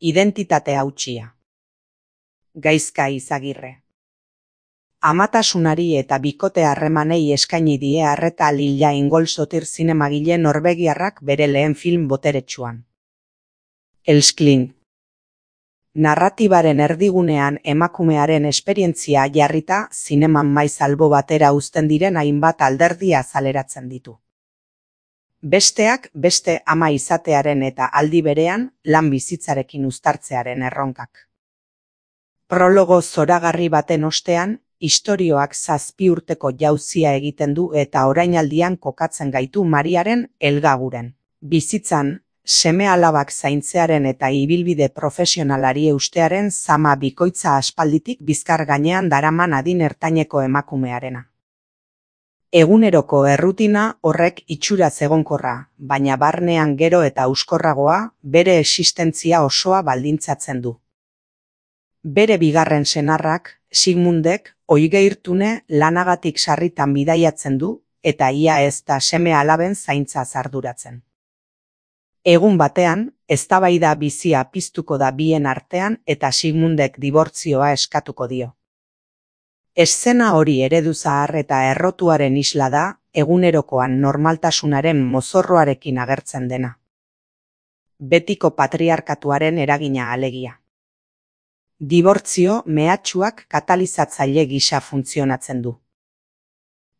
Identitate hautsia. Gaizka Izagirre. Amatasunari eta bikote harremanei eskaini die arreta Lilla Ingolsotir zinemagile norvegiarrak bere lehen film boteretsuan. Elsklin. Narratibaren erdigunean emakumearen esperientzia jarrita zineman maiz albo batera uzten diren hainbat alderdi azaleratzen ditu. Besteak beste ama izatearen eta aldi berean lan bizitzarekin uztartzearen erronkak. Prologo zoragarri baten ostean, istorioak 7 urteko jauzia egiten du eta orainaldian kokatzen gaitu Mariaren helgaguren. Bizitzan, seme-alabak zaintzearen eta ibilbide profesionalari eustearen zama bikoitza aspalditik bizkar gainean daraman adin ertaineko emakumearena. Eguneroko errutina horrek itxuraz egonkorra, baina barnean gero eta euskorragoa bere existentzia osoa baldintzatzen du. Bere bigarren senarrak, Sigmundek, Oigeirtune lanagatik sarritan bidaiatzen du eta ia ez da seme-alaben zaintza arduratzen. Egun batean, eztabaida bizia piztuko da bien artean eta Sigmundek dibortzioa eskatuko dio. Eszena hori eredu zahar eta errotuaren isla da, egunerokoan normaltasunaren mozorroarekin agertzen dena. Betiko patriarkatuaren eragina alegia. Dibortzio mehatxuak katalizatzaile gisa funtzionatzen du.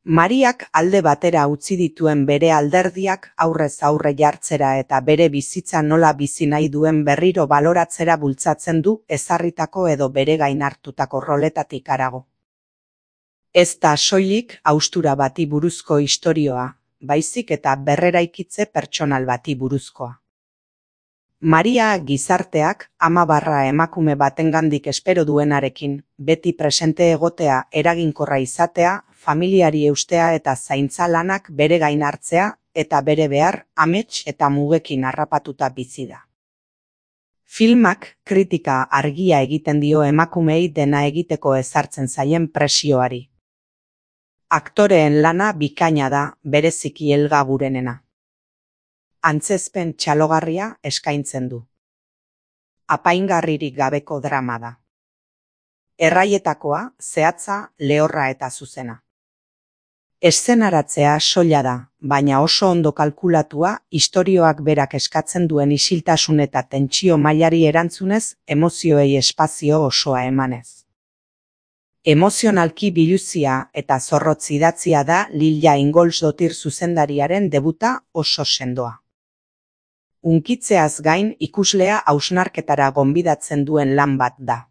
Mariak alde batera utzi dituen bere alderdiak aurrez aurre jartzera eta bere bizitza nola bizi nahi duen berriro baloratzera bultzatzen du ezarritako edo bere gain hartutako roletatik harago. Ez da soilik haustura bati buruzko istorioa, baizik eta berreraikitze pertsonal bati buruzkoa. Maria gizarteak ama emakume batengandik espero duenarekin, beti presente egotea, eraginkorra izatea, familiari eustea eta zaintza lanak bere gain hartzea eta bere behar, amets eta mugekin harrapatuta bizi da. Filmak kritika argia egiten dio emakumeei dena egiteko ezartzen zaien presioari. Aktoreen lana bikaina da, bereziki helgagurenena. Antzezpen txalogarria eskaintzen du. Apaingarririk gabeko drama da. Erraietakoa, zehatza, lehorra eta zuzena. Eszenaratzea soila da, baina oso ondo kalkulatua istorioak berak eskatzen duen isiltasun eta tentsio mailari erantzunez, emozioei espazio osoa emanez. Emozionalki biluzia eta zorrotz idatzia da Lilla Ingolsotir zuzendariaren debuta oso sendoa. Hunkitzeaz gain ikuslea hausnarketara gonbidatzen duen lan bat da.